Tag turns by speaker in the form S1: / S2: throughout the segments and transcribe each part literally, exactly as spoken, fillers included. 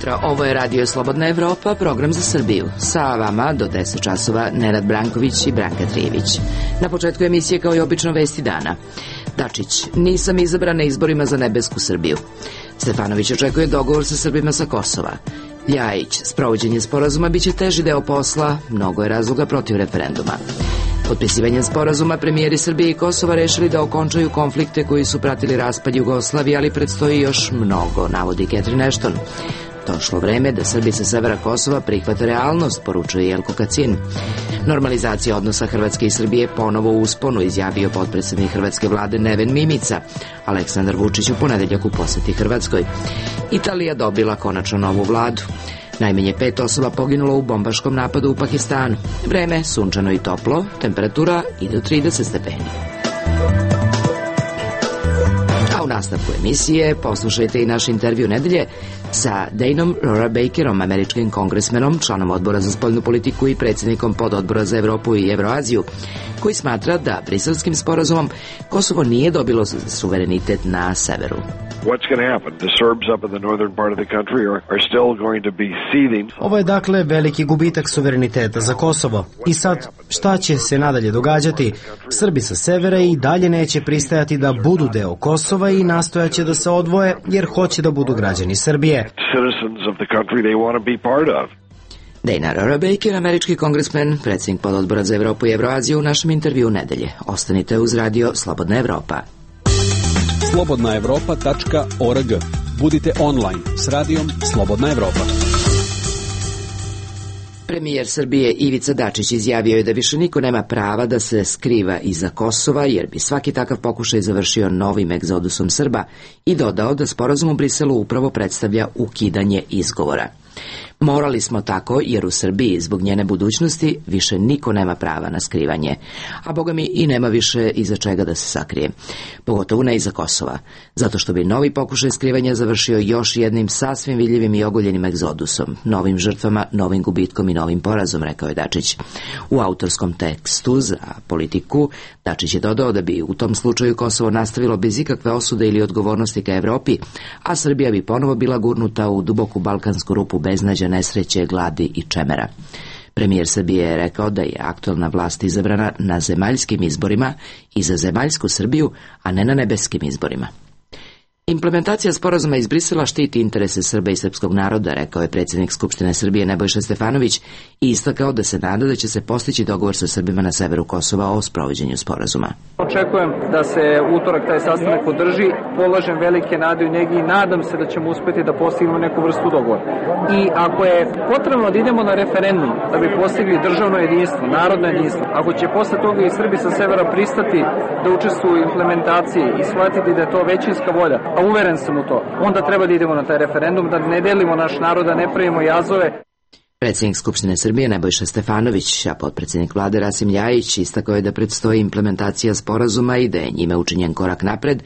S1: jutro, ovo je Radio Slobodna Evropa, program za Srbiju. Sa vama do deset časova Nenad Branković i Branka Trijević. Na početku emisije kao i obično vesti dana. Dačić, nisam izabran na izborima za nebesku Srbiju. Stefanović očekuje dogovor sa Srbima sa Kosova. Ljajić, sprovođenje sporazuma biće teži deo posla, mnogo je razloga protiv referenduma. Potpisivanjem sporazuma premijeri Srbije i Kosova rešili da okončaju konflikte koji su pratili raspad Jugoslavije, ali predstoji još mnogo, navodi Catherine Ashton. Došlo vreme da Srbi sa severa Kosova prihvate realnost, poručuje Jelko Kacin. Normalizacija odnosa Hrvatske i Srbije ponovo u usponu, izjavio potpredsednik hrvatske vlade Neven Mimica. Aleksandar Vučić u ponedeljak u poseti Hrvatskoj. Italija dobila konačno novu vladu. Najmanje pet osoba poginulo u bombaškom napadu u Pakistanu. Vreme sunčano i toplo, temperatura i do trideset stepeni. A u nastavku emisije poslušajte i naš intervju nedelje sa Danom Rora Bakerom, američkim kongresmenom, članom odbora za spoljnu politiku i predsjednikom pododbora za Evropu i Evroaziju, koji smatra da briselskim sporazumom Kosovo nije dobilo suverenitet na severu.
S2: Ovo je dakle veliki gubitak suvereniteta za Kosovo. I sad, šta će se nadalje događati? Srbi sa severa i dalje neće pristajati da budu deo Kosova i nastojaće da se odvoje jer hoće da budu građani Srbije.
S1: Dana Rora Baker, američki kongresmen, predsjednik pododbora za Evropu i Evroaziju, u našem intervju nedelje. Ostanite uz Radio Slobodna Evropa.
S3: slobodna evropa tačka org. Budite online s radijom Slobodna Evropa.
S1: Premijer Srbije Ivica Dačić izjavio je da više niko nema prava da se skriva iza Kosova, jer bi svaki takav pokušaj završio novim egzodusom Srba, i dodao da sporazum u Briselu upravo predstavlja ukidanje izgovora. Morali smo tako jer u Srbiji zbog njene budućnosti više niko nema prava na skrivanje, a boga mi i nema više iza čega da se sakrije, pogotovo ne iza Kosova, zato što bi novi pokušaj skrivanja završio još jednim sasvim vidljivim i ogoljenim egzodusom, novim žrtvama, novim gubitkom i novim porazom, rekao je Dačić. U autorskom tekstu za Politiku Dačić je dodao da bi u tom slučaju Kosovo nastavilo bez ikakve osude ili odgovornosti ka Evropi, a Srbija bi ponovo bila gurnuta u duboku balkansku rupu beznađa, nesreće, gladi i čemera. Premijer Srbije je rekao da je aktualna vlast izabrana na zemaljskim izborima i za zemaljsku Srbiju, a ne na nebeskim izborima. Implementacija sporazuma iz Brisela štiti interese Srba i srpskog naroda, rekao je predsjednik Skupštine Srbije Nebojša Stefanović i istakao da se nada da će se postići dogovor sa Srbima na severu Kosova o sprovođenju sporazuma.
S4: Očekujem da se utorak taj sastanak održi, polažem velike nade u njegi i nadam se da ćemo uspeti da postignemo neku vrstu dogovora. I ako je potrebno da idemo na referendum da bi postigli državno jedinstvo, narodno jedinstvo, ako će posle toga i Srbi sa severa pristati da učestvuju u implementaciji i shvatiti da je to većinska volja, a uveren sam u to, onda treba da idemo na taj referendum, da ne delimo naš narod, da ne pravimo jazove.
S1: Predsjednik Skupštine Srbije Nebojša Stefanović, a potpredsjednik vlade Rasim Ljajić istakao je da predstoji implementacija sporazuma i da je njime učinjen korak napred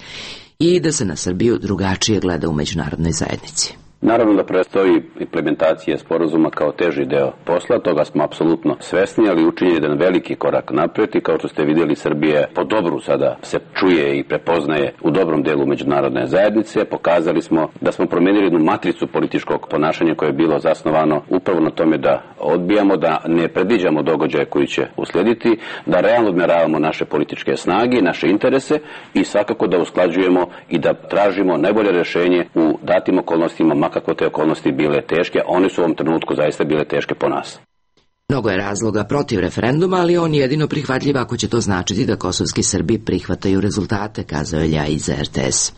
S1: i da se na Srbiju drugačije gleda u međunarodnoj zajednici.
S5: Naravno da predstoji implementacija sporazuma kao teži deo posla, toga smo apsolutno svesni, ali učinjen je jedan veliki korak napred i kao što ste vidjeli, Srbija po dobru sada se čuje i prepoznaje u dobrom delu međunarodne zajednice. Pokazali smo da smo promenili jednu matricu političkog ponašanja koje je bilo zasnovano upravo na tome da odbijamo, da ne predviđamo događaje koji će uslediti, da realno odmeravamo naše političke snage, naše interese i svakako da usklađujemo i da tražimo najbolje rješenje u datim okolnostima, kako te okolnosti bile teške, one su u ovom trenutku zaista bile teške po nas.
S1: Mnogo je razloga protiv referenduma, ali on je jedino prihvatljiv ako će to značiti da kosovski Srbi prihvataju rezultate, kazao je Ljajić za R T S.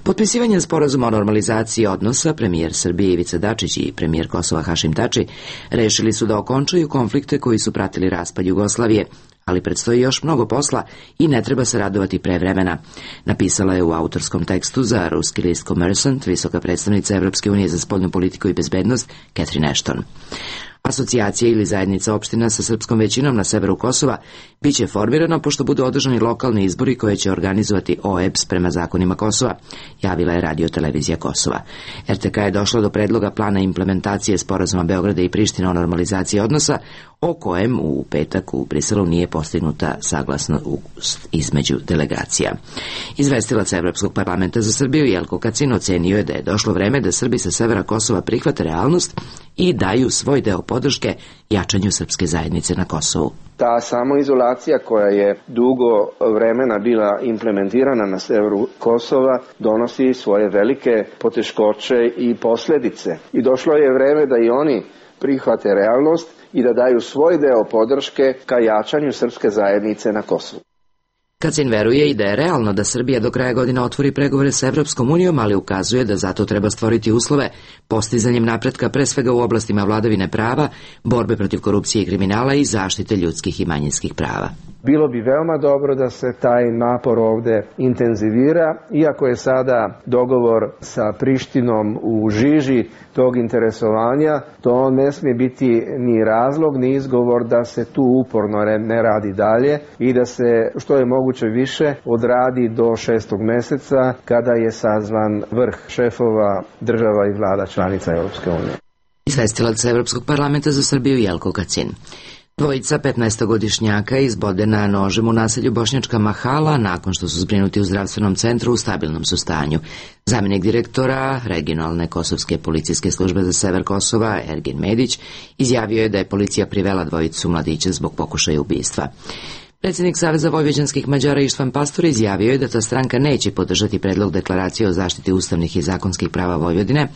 S1: Potpisivanjem sporazuma o normalizaciji odnosa, premijer Srbije Ivica Dačić i premijer Kosova Hašim Tači rešili su da okončaju konflikte koji su pratili raspad Jugoslavije, ali predstoji još mnogo posla i ne treba se radovati pre vremena, napisala je u autorskom tekstu za ruski list Kommersant visoka predstavnica Evropske unije za spoljnu politiku i bezbednost Catherine Ashton. Asocijacija ili zajednica opština sa srpskom većinom na severu Kosova biće formirana pošto budu održani lokalni izbori koje će organizovati O E B S prema zakonima Kosova, javila je Radio-televizija Kosova. R T K je došla do predloga plana implementacije sporazuma Beograda i Priština o normalizaciji odnosa, o kojem u petak u Briselu nije postignuta saglasnost između delegacija. Izvestilac Evropskog parlamenta za Srbiju Jelko Kacin ocenio je da je došlo vreme da Srbi sa severa Kosova prihvate realnost i daju svoj deo podrške jačanju srpske zajednice na Kosovu.
S6: Ta samoizolacija koja je dugo vremena bila implementirana na severu Kosova donosi svoje velike poteškoće i posljedice. I došlo je vreme da i oni prihvate realnost i da daju svoj deo podrške ka jačanju srpske zajednice na Kosovu.
S1: Kacin veruje i da je realno da Srbija do kraja godine otvori pregovore sa Evropskom unijom, ali ukazuje da zato treba stvoriti uslove postizanjem napretka pre svega u oblastima vladavine prava, borbe protiv korupcije i kriminala i zaštite ljudskih i manjinskih prava.
S6: Bilo bi veoma dobro da se taj napor ovde intenzivira, iako je sada dogovor sa Prištinom u žiži tog interesovanja, to ne smije biti ni razlog, ni izgovor da se tu uporno ne radi dalje i da se što je moguće više odradi do šestog meseca kada je sazvan vrh šefova država i vlada članica Europske unije.
S1: Izvestilac Evropskog parlamenta za Srbiju Jelko Kacin. Dvojica petnaestogodišnjaka izbodena nožem u naselju Bošnjačka Mahala nakon što su zbrinuti u zdravstvenom centru u stabilnom su stanju. Zamjenik direktora regionalne kosovske policijske službe za sever Kosova, Ergin Medić, izjavio je da je policija privela dvojicu mladića zbog pokušaja ubistva. Predsjednik Saveza vojvođanskih Mađara Ištvan Pastor izjavio je da ta stranka neće podržati predlog deklaracije o zaštiti ustavnih i zakonskih prava Vojvodine,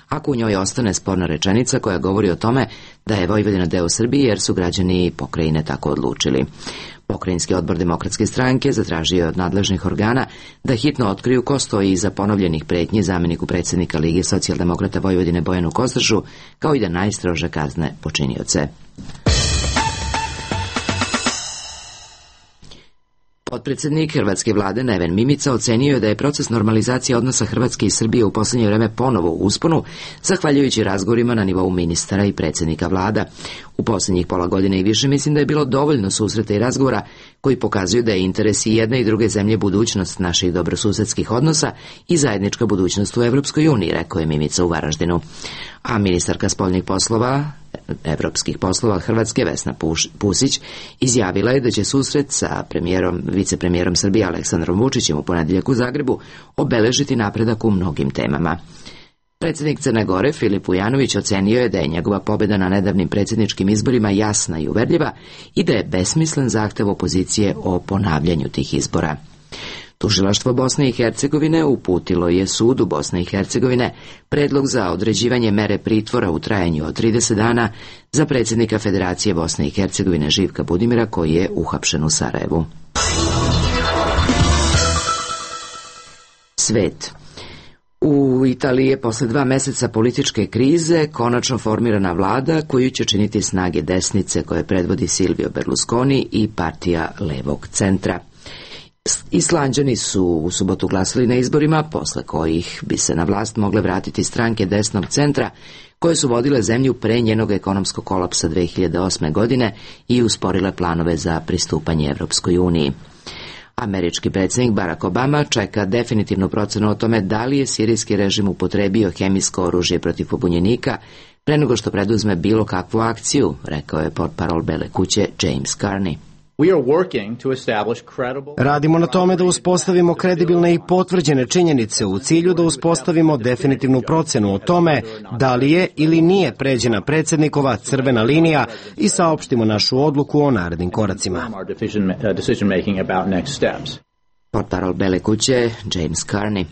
S1: ako u njoj ostane sporna rečenica koja govori o tome da je Vojvodina deo Srbije jer su građani pokrajine tako odlučili. Pokrajinski odbor Demokratske stranke zatražio je od nadležnih organa da hitno otkriju ko stoji iza ponovljenih pretnji zamjeniku predsjednika Lige socijaldemokrata Vojvodine Bojanu Kostržu, kao i da najstrože kazne počinioce. Potpredsjednik hrvatske vlade Neven Mimica ocenio je da je proces normalizacije odnosa Hrvatske i Srbije u posljednje vreme ponovo u usponu, zahvaljujući razgovorima na nivou ministara i predsjednika vlada. U posljednjih pola godine i više mislim da je bilo dovoljno susreta i razgovora koji pokazuju da je interes i jedne i druge zemlje budućnost naših dobrosusedskih odnosa i zajednička budućnost u Evropskoj uniji, rekao je Mimica u Varaždinu. A ministarka spoljnih poslova evropskih poslova Hrvatske Vesna Pusić izjavila je da će susret sa premijerom, vicepremijerom Srbije Aleksandrom Vučićem u ponedjeljak u Zagrebu obeležiti napredak u mnogim temama. Predsjednik Crne Gore Filip Vujanović ocenio je da je njegova pobjeda na nedavnim predsjedničkim izborima jasna i uverljiva i da je besmislen zahtev opozicije o ponavljanju tih izbora. Tužilaštvo Bosne i Hercegovine uputilo je sudu Bosne i Hercegovine predlog za određivanje mere pritvora u trajanju od trideset dana za predsjednika Federacije Bosne i Hercegovine Živka Budimira, koji je uhapšen u Sarajevu. Svet. U Italiji je posle dva meseca političke krize konačno formirana vlada koju će činiti snage desnice koje predvodi Silvio Berlusconi i partija levog centra. Islanđani su u subotu glasali na izborima, posle kojih bi se na vlast mogle vratiti stranke desnog centra koje su vodile zemlju pre njenog ekonomskog kolapsa dve hiljade osme. godine i usporile planove za pristupanje Evropskoj uniji. Američki predsjednik Barack Obama čeka definitivnu procenu o tome da li je sirijski režim upotrebio hemijsko oružje protiv pobunjenika pre nego što preduzme bilo kakvu akciju, rekao je portparol Bele kuće James Carney.
S2: Radimo na tome da uspostavimo kredibilne i potvrđene činjenice u cilju da uspostavimo definitivnu procenu o tome da li je ili nije pređena predsjednikova crvena linija i saopštimo našu odluku o narednim koracima.
S1: Portparol Bele kuće James Carney.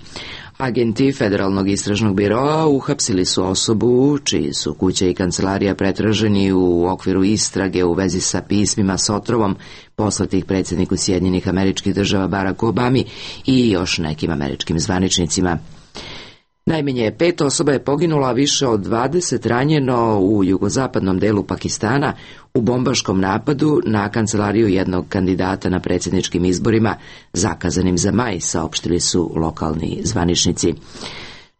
S1: Agenti Federalnog istražnog biroa uhapsili su osobu čiji su kuća i kancelarija pretraženi u okviru istrage u vezi sa pismima s otrovom poslatih predsjedniku Sjedinjenih Američkih Država Baracku Obami i još nekim američkim zvaničnicima. Najmanje pet osoba je poginulo, a više od dvadeset ranjeno u jugozapadnom delu Pakistana u bombaškom napadu na kancelariju jednog kandidata na predsjedničkim izborima zakazanim za maj, saopštili su lokalni zvaničnici.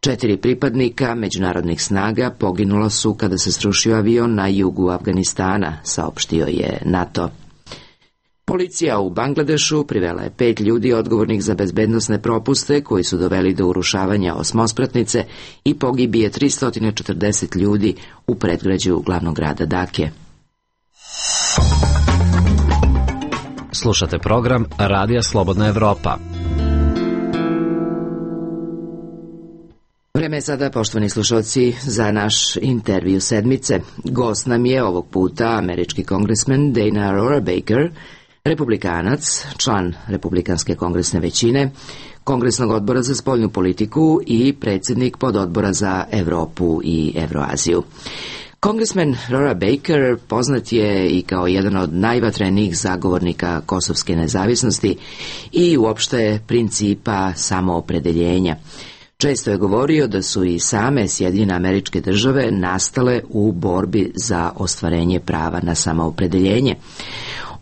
S1: Četiri pripadnika međunarodnih snaga poginula su kada se srušio avion na jugu Afganistana, saopštio je NATO. Policija u Bangladešu privela je pet ljudi odgovornih za bezbednosne propuste koji su doveli do urušavanja osmospratnice i pogibije tristo četrdeset ljudi u predgrađu glavnog grada Dake.
S7: Slušate program Radija Slobodna Evropa.
S1: Vreme je sada, poštovani slušalci, za naš intervju sedmice. Gost nam je ovog puta američki kongresmen Dana Rohrabacher, republikanac, član Republikanske kongresne većine, Kongresnog odbora za spoljnu politiku i predsjednik pododbora za Evropu i Evroaziju. Kongresmen Rohrabacher poznat je i kao jedan od najvatrenijih zagovornika kosovske nezavisnosti i uopšte principa samoopredeljenja. Često je govorio da su i same Sjedinjene Američke Države nastale u borbi za ostvarenje prava na samoopredeljenje.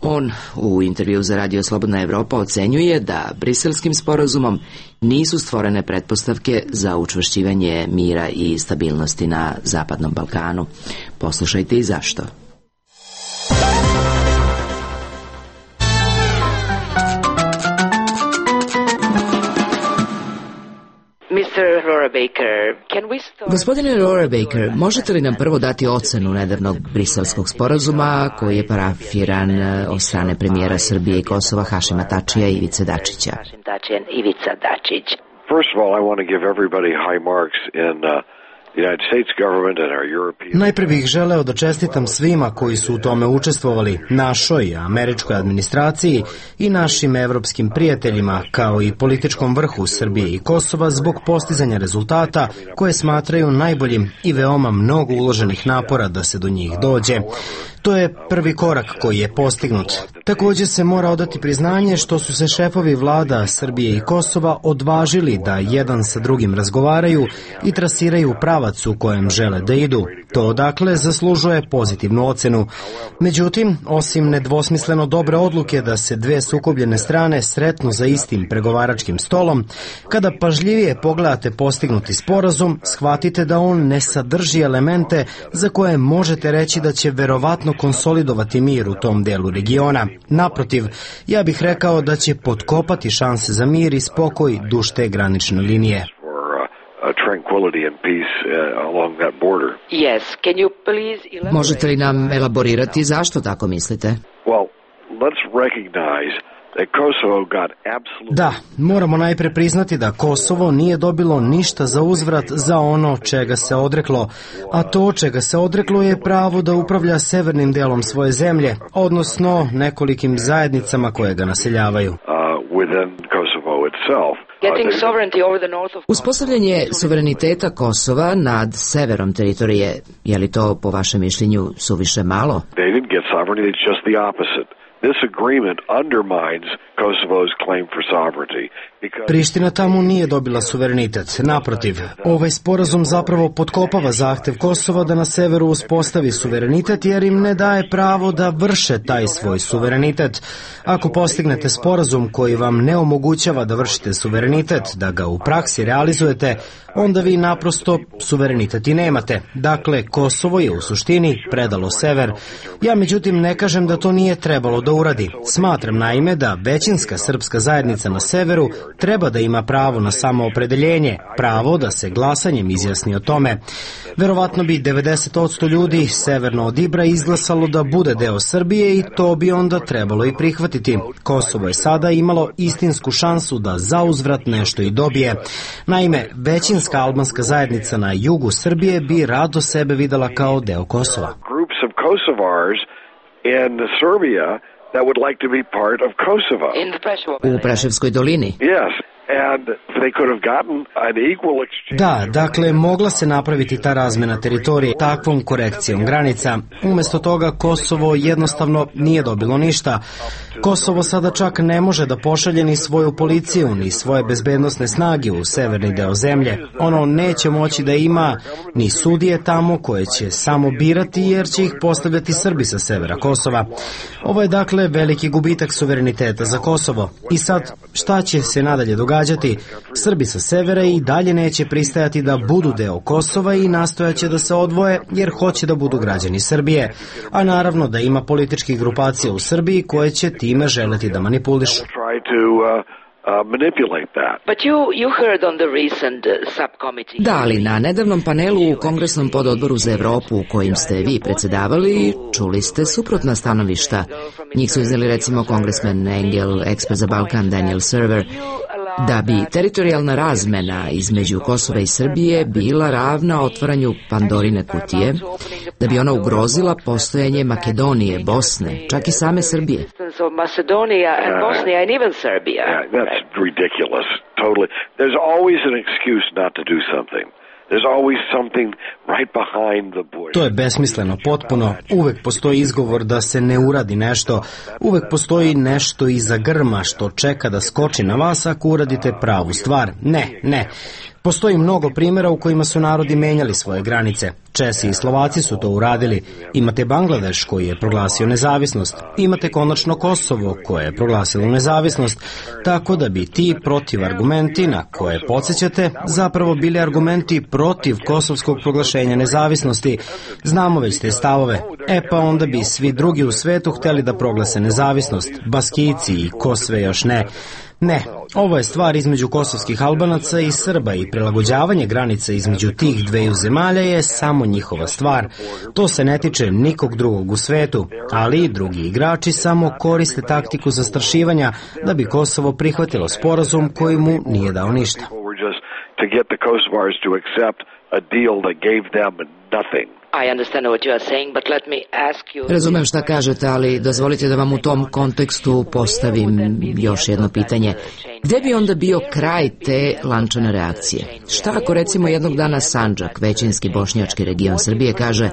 S1: On u intervju za Radio Slobodna Evropa ocenjuje da Briselskim sporazumom nisu stvorene pretpostavke za učvršćivanje mira i stabilnosti na Zapadnom Balkanu. Poslušajte i zašto. Gospodine Rohrabacher, možete li nam prvo dati ocenu nedavnog Briselskog sporazuma koji je parafiran od strane premijera Srbije i Kosova Hašima Tačija i Ivice Dačića?
S8: First of all, I want to give everybody high marks in uh, the United States government and our European...
S2: Najpre bih želeo da čestitam svima koji su u tome učestvovali, našoj američkoj administraciji i našim evropskim prijateljima, kao i političkom vrhu Srbije i Kosova zbog postizanja rezultata koje smatraju najboljim i veoma mnogo uloženih napora da se do njih dođe. To je prvi korak koji je postignut. Također se mora odati priznanje što su se šefovi vlada Srbije i Kosova odvažili da jedan sa drugim razgovaraju i trasiraju pravac u kojem žele da idu. To dakle zaslužuje pozitivnu ocenu. Međutim, osim nedvosmisleno dobre odluke da se dve sukobljene strane sretnu za istim pregovaračkim stolom, kada pažljivije pogledate postignuti sporazum, shvatite da on ne sadrži elemente za koje možete reći da će verovatno konsolidovati mir u tom delu regiona. Naprotiv, ja bih rekao da će potkopati šanse za mir i spokoj duž te granične linije.
S1: Možete li nam elaborirati zašto tako mislite?
S2: Da, moramo najpre priznati da Kosovo nije dobilo ništa za uzvrat za ono čega se odreklo, a to čega se odreklo je pravo da upravlja severnim delom svoje zemlje, odnosno nekolikim zajednicama koje ga naseljavaju.
S1: Uspostavljanje suvereniteta Kosova nad severom teritorije, je li to po vašem mišljenju suviše malo?
S2: Priština tamo nije dobila suverenitet. Naprotiv, ovaj sporazum zapravo potkopava zahtev Kosova da na severu uspostavi suverenitet jer im ne daje pravo da vrše taj svoj suverenitet. Ako postignete sporazum koji vam ne omogućava da vršite suverenitet, da ga u praksi realizujete, onda vi naprosto suverenitet i nemate. Dakle, Kosovo je u suštini predalo sever. Ja međutim ne kažem da to nije trebalo da uradi. Smatram naime da većinska srpska zajednica na severu treba da ima pravo na samoopredeljenje, pravo da se glasanjem izjasni o tome. Verovatno bi devedeset posto ljudi severno od Ibra izglasalo da bude deo Srbije i to bi onda trebalo i prihvatiti. Kosovo je sada imalo istinsku šansu da zauzvrat nešto i dobije. Naime, većinska albanska zajednica na jugu Srbije bi rado sebe videla kao deo Kosova.
S1: U Preševskoj dolini?
S2: Da, dakle, mogla se napraviti ta razmena teritorije takvom korekcijom granica. Umjesto toga Kosovo jednostavno nije dobilo ništa. Kosovo sada čak ne može da pošalje ni svoju policiju, ni svoje bezbednosne snage u severni deo zemlje. Ono neće moći da ima ni sudije tamo koje će samo birati jer će ih postavljati Srbi sa severa Kosova. Ovo je dakle veliki gubitak suvereniteta za Kosovo. I sad, šta će se nadalje događati? događati. Srbi sa severa i dalje neće pristajati da budu deo Kosova i nastojaće da se odvoje jer hoće da budu građani Srbije. A naravno da ima političkih grupacija u Srbiji koje će time želeti da manipulišu.
S1: Da, ali na nedavnom panelu u Kongresnom pododboru za Evropu u kojim ste vi predsedavali, čuli ste suprotna stanovišta. Njih su izneli recimo kongresmen Engel, ekspert za Balkan Daniel Server, da bi teritorijalna razmena između Kosova i Srbije bila ravna otvaranju Pandorine kutije, da bi ona ugrozila postojanje Makedonije, Bosne, čak i same Srbije.
S2: To je besmisleno potpuno. Uvek postoji izgovor da se ne uradi nešto. Uvek postoji nešto iza grma što čeka da skoči na vas ako uradite pravu stvar. Ne, ne. Postoji mnogo primjera u kojima su narodi menjali svoje granice. Česi i Slovaci su to uradili. Imate Bangladeš koji je proglasio nezavisnost. Imate konačno Kosovo koje je proglasilo nezavisnost. Tako da bi ti protivargumenti na koje podsjećate zapravo bili argumenti protiv kosovskog proglašenja nezavisnosti. Znamo već te stavove. E pa onda bi svi drugi u svetu hteli da proglase nezavisnost. Baskijci i ko sve još ne. Ne, ovo je stvar između kosovskih Albanaca i Srba i prilagođavanje granica između tih dveju zemalja je samo njihova stvar. To se ne tiče nikog drugog u svetu, ali drugi igrači samo koriste taktiku zastrašivanja da bi Kosovo prihvatilo sporazum koji mu nije dao ništa.
S1: Razumem šta kažete, ali dozvolite da vam u tom kontekstu postavim još jedno pitanje. Gde bi onda bio kraj te lančane reakcije? Šta ako recimo jednog dana Sandžak, većinski bošnjački region Srbije, kaže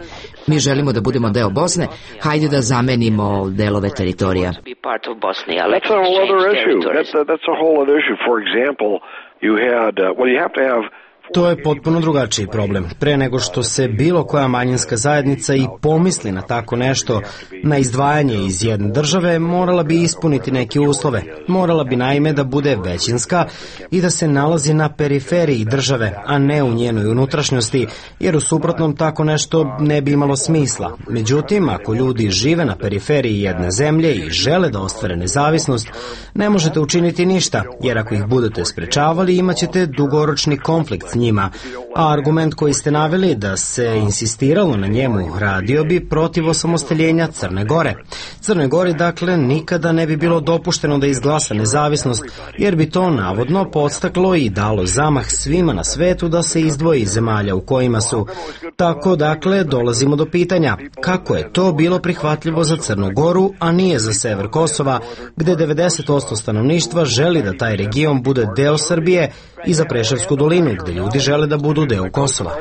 S1: mi želimo da budemo deo Bosne, hajde da zamenimo delove teritorija?
S2: To je potpuno drugačiji problem. Pre nego što se bilo koja manjinska zajednica i pomisli na tako nešto, na izdvajanje iz jedne države, morala bi ispuniti neke uslove. Morala bi naime da bude većinska i da se nalazi na periferiji države, a ne u njenoj unutrašnjosti, jer u suprotnom tako nešto ne bi imalo smisla. Međutim, ako ljudi žive na periferiji jedne zemlje i žele da ostvare nezavisnost, ne možete učiniti ništa, jer ako ih budete sprečavali, imaćete dugoročni konflikt s njima, a argument koji ste naveli da se insistiralo na njemu radio bi protiv osamostaljenja Crne Gore. Crnoj Gori dakle nikada ne bi bilo dopušteno da izglasa nezavisnost, jer bi to navodno podstaklo i dalo zamah svima na svetu da se izdvoji iz zemalja u kojima su. Tako dakle dolazimo do pitanja kako je to bilo prihvatljivo za Crnu Goru, a nije za sever Kosova, gde devedeset posto stanovništva želi da taj region bude deo Srbije, i za Preševsku dolinu, gde ljudi žele da budu deo Kosova.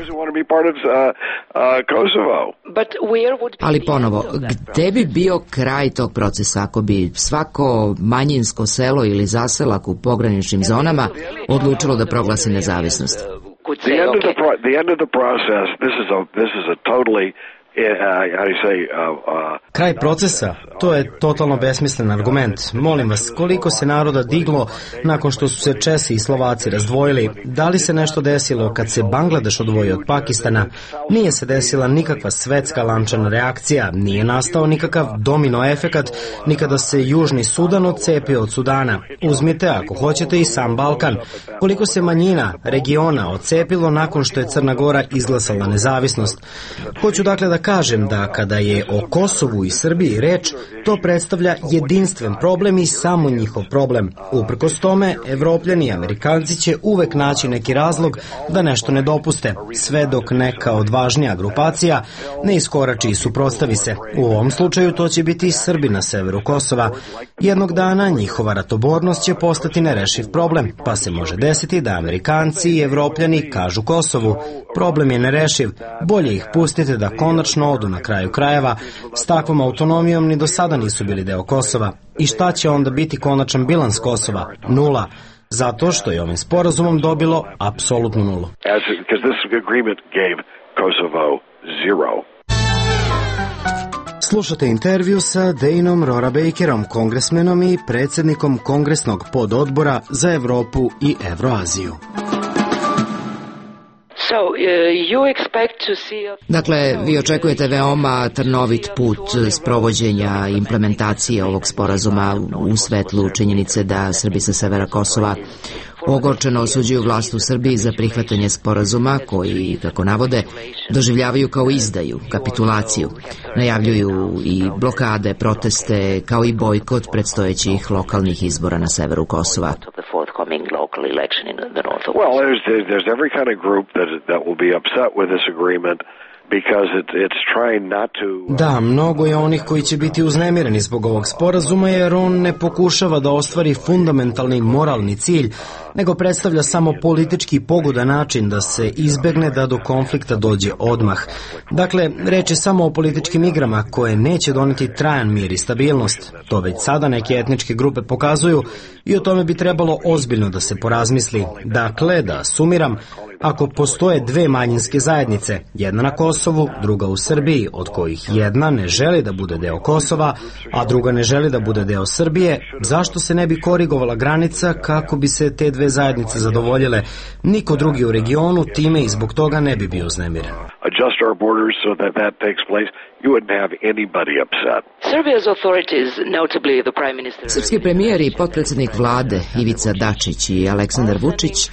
S1: Ali ponovo, gde bi bio kraj tog procesa ako bi svako manjinsko selo ili zaselak u pograničnim zonama odlučilo da proglasi nezavisnost?
S2: Kraj procesa, to je totalno besmislen argument. Molim vas, koliko se naroda diglo nakon što su se Česi i Slovaci razdvojili? Da li se nešto desilo kad se Bangladeš odvojio od Pakistana? Nije se desila nikakva svetska lančana reakcija, nije nastao nikakav domino efekat, ni kada se Južni Sudan odcepio od Sudana. Uzmite, ako hoćete, i sam Balkan. Koliko se manjina regiona odcepilo nakon što je Crna Gora izglasala nezavisnost? Hoću dakle da kažem da kada je o Kosovu i Srbiji reč, to predstavlja jedinstven problem i samo njihov problem. Uprkos tome, Evropljani i Amerikanci će uvek naći neki razlog da nešto ne dopuste, sve dok neka odvažnija grupacija ne iskorači i suprotstavi se. U ovom slučaju to će biti i Srbi na severu Kosova. Jednog dana njihova ratobornost će postati nerešiv problem, pa se može desiti da Amerikanci i Evropljani kažu Kosovu, problem je nerešiv, bolje ih pustite da konačno odu na kraju krajeva, s takvom autonomijom ni do sada nisu bili deo Kosova. I šta će onda biti konačan bilans Kosova? Nula. Zato što je ovim sporazumom dobilo apsolutnu nulu. Slušate intervju sa Daneom Rorabakerom, kongresmenom i predsjednikom Kongresnog pododbora za Evropu i Evroaziju.
S1: Dakle, vi očekujete veoma trnovit put sprovođenja implementacije ovog sporazuma u svetlu činjenice da Srbi sa severa Kosova ogorčeno osuđuju vlast u Srbiji za prihvatanje sporazuma koji, kako navode, doživljavaju kao izdaju, kapitulaciju. Najavljuju i blokade, proteste, kao i bojkot predstojećih lokalnih izbora na severu Kosova.
S8: Well, there's, there's every kind of group that, that will be upset with this agreement.
S2: Da, mnogo je onih koji će biti uznemireni zbog ovog sporazuma jer on ne pokušava da ostvari fundamentalni moralni cilj, nego predstavlja samo politički pogodan način da se izbegne da do konflikta dođe odmah. Dakle, reč je samo o političkim igrama koje neće doneti trajan mir i stabilnost. To već sada neke etničke grupe pokazuju i o tome bi trebalo ozbiljno da se porazmisli. Dakle, da sumiram, ako postoje dve manjinske zajednice, jedna na Kosovu, druga u Srbiji, od kojih jedna ne želi da bude deo Kosova, a druga ne želi da bude deo Srbije, zašto se ne bi korigovala granica kako bi se te dve zajednice zadovoljile? Niko drugi u regionu time i zbog toga ne bi bio uznemiren.
S1: Srpski premijer i potpredsjednik vlade Ivica Dačić i Aleksandar Vučić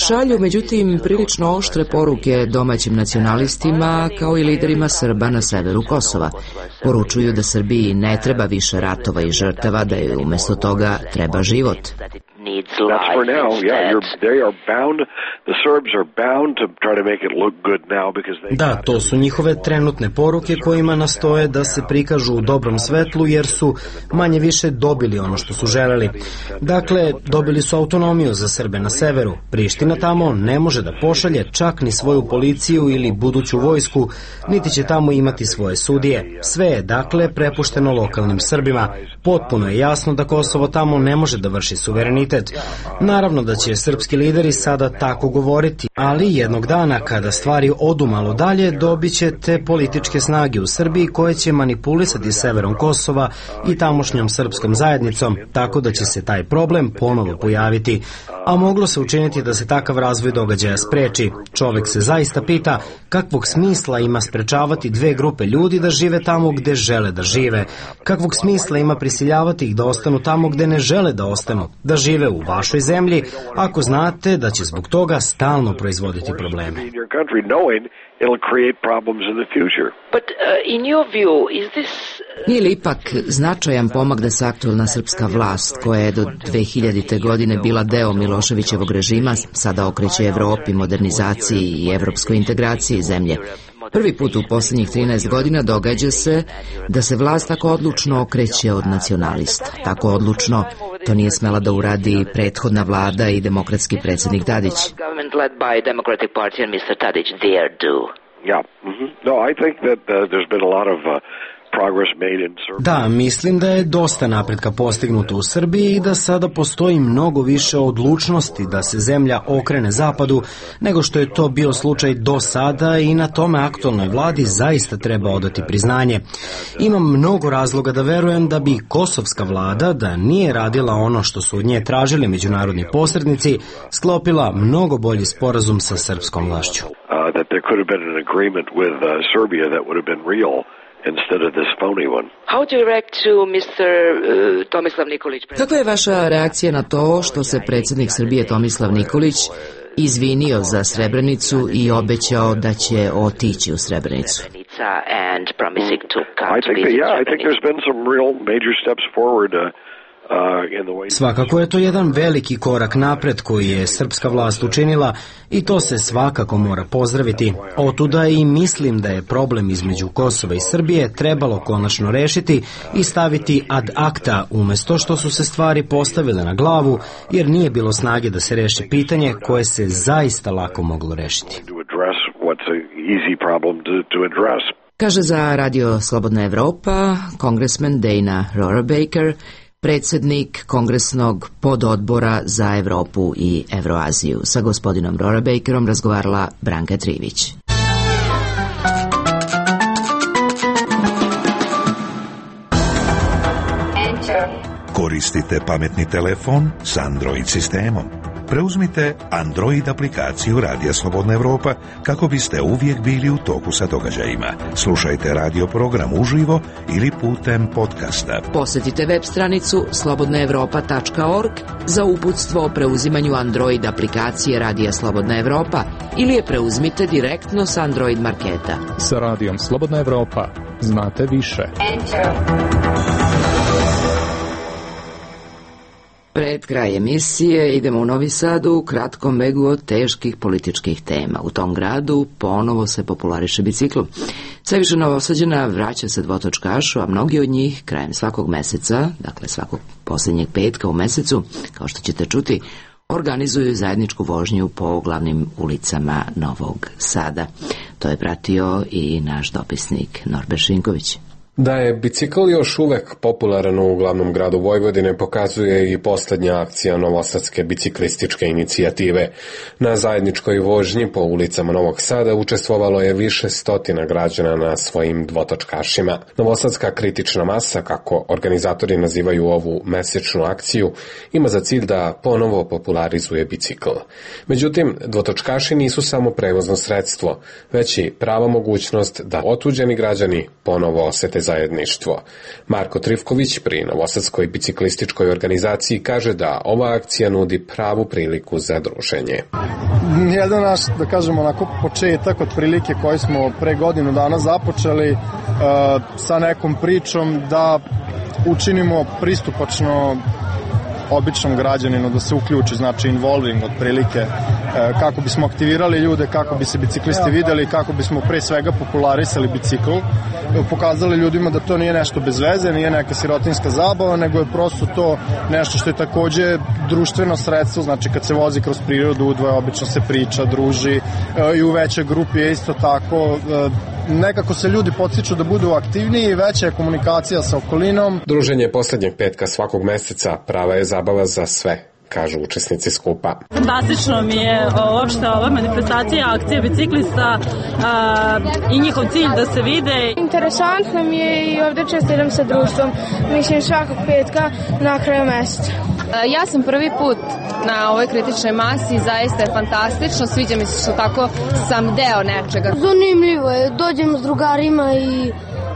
S1: šalju međutim prilično oštre poruke domaćim nacionalistima kao i liderima Srba na severu Kosova. Poručuju da Srbiji ne treba više ratova i žrtava, da je umjesto toga treba život.
S8: That's for now, yeah, you're, they are bound, the Serbs are bound to try to make it look good now because they...
S2: Da, to su njihove trenutne poruke kojima nastoje da se prikažu u dobrom svetlu jer su manje više dobili ono što su želeli. Dakle, dobili su autonomiju za Srbe na severu. Priština tamo ne može da pošalje čak ni svoju policiju ili buduću vojsku, niti će tamo imati svoje sudije. Sve je, dakle, prepušteno lokalnim Srbima. Potpuno je jasno da Kosovo tamo ne može da vrši suverenitet. Naravno da će srpski lideri sada tako govoriti, ali jednog dana kada stvari odu malo dalje dobit će te političke snage u Srbiji koje će manipulisati severom Kosova i tamošnjom srpskom zajednicom, tako da će se taj problem ponovo pojaviti. A moglo se učiniti da se takav razvoj događaja spreči. Čovek se zaista pita kakvog smisla ima sprečavati dve grupe ljudi da žive tamo gde žele da žive. Kakvog smisla ima prisiljavati ih da ostanu tamo gde ne žele da ostanu, da žive u vašoj zemlji, ako znate da će zbog toga stalno proizvoditi probleme.
S1: Nije li ipak značajan pomak da se aktualna srpska vlast, koja je do dve hiljadite. godine bila deo Miloševićevog režima, sada okreće Evropi, modernizaciji i evropskoj integraciji zemlje? Prvi put u posljednjih trinaest godina događa se da se vlast tako odlučno okreće od nacionalista. Tako odlučno to nije smela da uradi prethodna vlada i demokratski predsjednik Tadić.
S8: Yeah. Mm-hmm. No, I think that uh, there's been a lot of uh,
S2: Da, mislim da je dosta napretka postignuto u Srbiji i da sada postoji mnogo više odlučnosti da se zemlja okrene zapadu nego što je to bio slučaj do sada i na tome aktualnoj vladi zaista treba odati priznanje. Imam mnogo razloga da verujem da bi kosovska vlada, da nije radila ono što su od nje tražili međunarodni posrednici, sklopila mnogo bolji sporazum sa srpskom vlašću.
S8: Uh, that there could have been an agreement with uh, Serbia that would have been real. Instead of this phony one.
S1: How do you react to mister Uh, Tomislav Nikolić? Kakva je vaša reakcija na to što se predsjednik Srbije Tomislav Nikolić izvinio za Srebrenicu i obećao da će otići u Srebrenicu?
S8: I think that, yeah, I think there's been some real major steps forward uh,
S2: Svakako je to jedan veliki korak napred koji je srpska vlast učinila i to se svakako mora pozdraviti. Otuda i mislim da je problem između Kosova i Srbije trebalo konačno rešiti i staviti ad acta umjesto što su se stvari postavile na glavu jer nije bilo snage da se reši pitanje koje se zaista lako moglo rešiti.
S1: Kaže za Radio Slobodna Evropa kongresmen Dana Rorabaker, predsjednik Kongresnog pododbora za Evropu i Evroaziju. Sa gospodinom Rorabakerom razgovarala Branka Trivić.
S9: Koristite pametni telefon s Android sistemom? Preuzmite Android aplikaciju Radija Slobodna Evropa kako biste uvijek bili u toku sa događajima. Slušajte radio program uživo ili putem podcasta.
S1: Posjetite web stranicu slobodna evropa tačka org za uputstvo o preuzimanju Android aplikacije Radija Slobodna Evropa ili je preuzmite direktno s Android marketa.
S10: Sa Radijom Slobodna Evropa znate više.
S1: Pred kraj emisije idemo u Novi Sad u kratkom begu od teških političkih tema. U tom gradu ponovo se populariše bicikl. Sve više Novosađana vraća se dvotočkašu, a mnogi od njih krajem svakog meseca, dakle svakog posljednjeg petka u mesecu, kao što ćete čuti, organizuju zajedničku vožnju po glavnim ulicama Novog Sada. To je pratio i naš dopisnik Norbert Šinković.
S11: Da je bicikl još uvek popularan u glavnom gradu Vojvodine pokazuje i posljednja akcija Novosadske biciklističke inicijative. Na zajedničkoj vožnji po ulicama Novog Sada učestvovalo je više stotina građana na svojim dvotočkašima. Novosadska kritična masa, kako organizatori nazivaju ovu mesečnu akciju, ima za cilj da ponovo popularizuje bicikl. Međutim, dvotočkaši nisu samo prevozno sredstvo, već i prava mogućnost da otuđeni građani ponovo osete zajedništvo. Marko Trivković pri Novosadskoj biciklističkoj organizaciji kaže da ova akcija nudi pravu priliku za druženje.
S12: Jedan naš, da kažemo, onako početak od prilike koji smo pre godinu dana započeli uh, sa nekom pričom da učinimo pristupačno običnom građaninu da se uključi, znači involving otprilike, kako bismo aktivirali ljude, kako bi se biciklisti videli, kako bismo pre svega popularisali bicikl, pokazali ljudima da to nije nešto bez veze, nije neka sirotinska zabava, nego je prosto to nešto što je takođe društveno sredstvo, znači kad se vozi kroz prirodu, udvoje obično se priča, druži i u većoj grupi je isto tako. Nekako se ljudi podstiču da budu aktivniji, veća je komunikacija sa okolinom.
S11: Druženje posljednjeg petka svakog meseca prava je zabava za sve, kažu učesnici skupa.
S13: Fantastično mi je uopšte ova manifestacija, akcija biciklista a, i njihov cilj da se vide.
S14: Interesantno mi je i ovde čestitam sa društvom, mislim svakog petka na kraju meseca.
S15: Ja sam prvi put na ovoj kritičnoj masi, zaista je fantastično, sviđa mi se što tako sam deo nečega.
S14: Zanimljivo je, dođem s drugarima i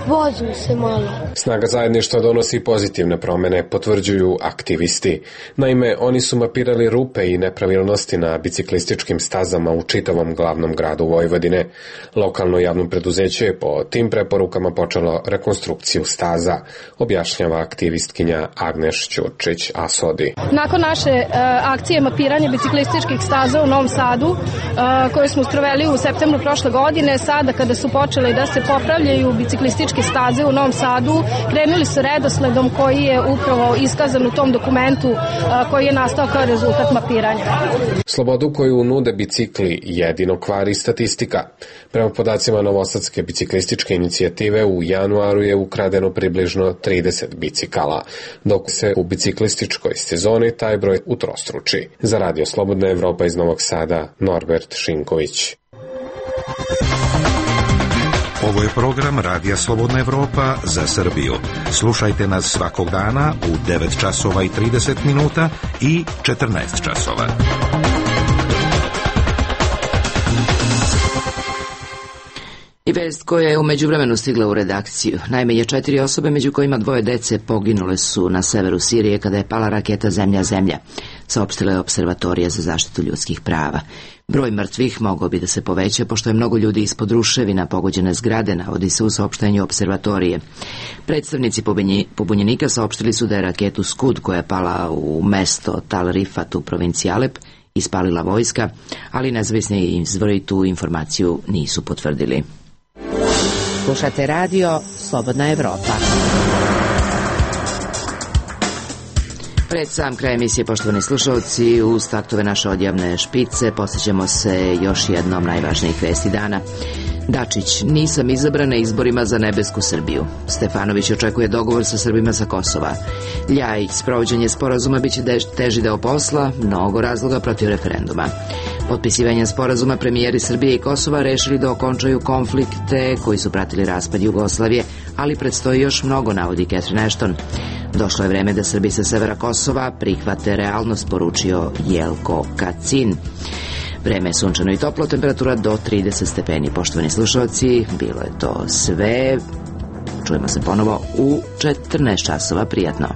S14: vozim se malo.
S11: Snaga zajedništva donosi pozitivne promene, potvrđuju aktivisti. Naime, oni su mapirali rupe i nepravilnosti na biciklističkim stazama u čitavom glavnom gradu Vojvodine. Lokalno javno preduzeće je po tim preporukama počelo rekonstrukciju staza, objašnjava aktivistkinja Agneš Ćurčić Asodi.
S16: Nakon naše uh, akcije mapiranja biciklističkih staza u Novom Sadu, uh, koje smo sproveli u septembru prošle godine, sada kada su počeli da se popravljaju biciklističke staze u Novom Sadu, krenuli su redosledom koji je upravo iskazan u tom dokumentu koji je nastao kao rezultat mapiranja.
S11: Slobodu koju nude bicikli jedino kvari statistika. Prema podacima Novosadske biciklističke inicijative u januaru je ukradeno približno trideset bicikala, dok se u biciklističkoj sezoni taj broj utrostruči. Za Radio Slobodna Evropa iz Novog Sada, Norbert Šinković.
S9: Ovo je program Radija Slobodna Evropa za Srbiju. Slušajte nas svakog dana u devet časova i trideset minuta i četrnaest časova.
S1: I vest koja je u međuvremenu stigla u redakciju. Najmanje četiri osobe, među kojima dvoje dece, poginule su na severu Sirije kada je pala raketa Zemlja-Zemlja, saopštila je Observatorija za zaštitu ljudskih prava. Broj mrtvih mogao bi da se poveća, pošto je mnogo ljudi ispod ruševina pogođene zgrade, navodi se u saopštenju Observatorije. Predstavnici pobunjenika saopštili su da je raketu Skud, koja je pala u mesto Tal Rifat u provinciji Alep, ispalila vojska, ali nezavisni izvori tu informaciju nisu potvrdili.
S17: Slušate radio Slobodna Evropa.
S1: Pred sam kraj emisije, poštovani slušalci, uz taktove naše odjavne špice posjećamo se još jednom najvažnijih vesti dana. Dačić, nisam izabran na izborima za nebesku Srbiju. Stefanović očekuje dogovor sa Srbima sa Kosova. Ljajić, sprovođenje sporazuma biće teži deo posla, mnogo razloga protiv referenduma. Potpisivanjem sporazuma premijeri Srbije i Kosova rešili da okončaju konflikte koji su pratili raspad Jugoslavije, ali predstoji još mnogo, navodi Catherine Ashton. Došlo je vreme da Srbi sa severa Kosova prihvate realnost, poručio Jelko Kacin. Vreme je sunčano i toplo, temperatura do trideset stepeni. Poštovani slušalci, bilo je to sve. Čujemo se ponovo u četrnaest časova. Prijatno.